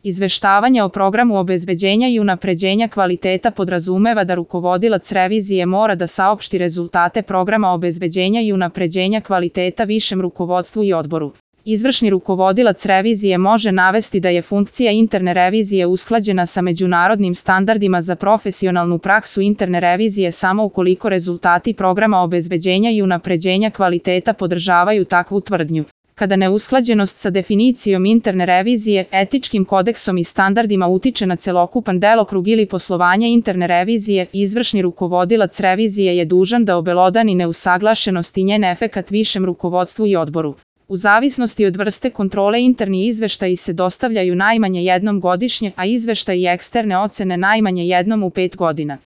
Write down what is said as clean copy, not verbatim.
Izveštavanje o programu obezbeđenja i unapređenja kvaliteta podrazumeva da rukovodilac revizije mora da saopšti rezultate programa obezbeđenja i unapređenja kvaliteta višem rukovodstvu i odboru. Izvršni rukovodilac revizije može navesti da je funkcija interne revizije usklađena sa međunarodnim standardima za profesionalnu praksu interne revizije samo ukoliko rezultati programa obezbeđenja i unapređenja kvaliteta podržavaju takvu tvrdnju. Kada neusklađenost sa definicijom interne revizije, etičkim kodeksom i standardima utiče na celokupan delokrug ili poslovanje interne revizije, izvršni rukovodilac revizije je dužan da obelodani neusaglašenost i njen efekat višem rukovodstvu i odboru. U zavisnosti od vrste kontrole interni izveštaji se dostavljaju najmanje jednom godišnje, a izveštaji eksterne ocene najmanje jednom u 5 godina.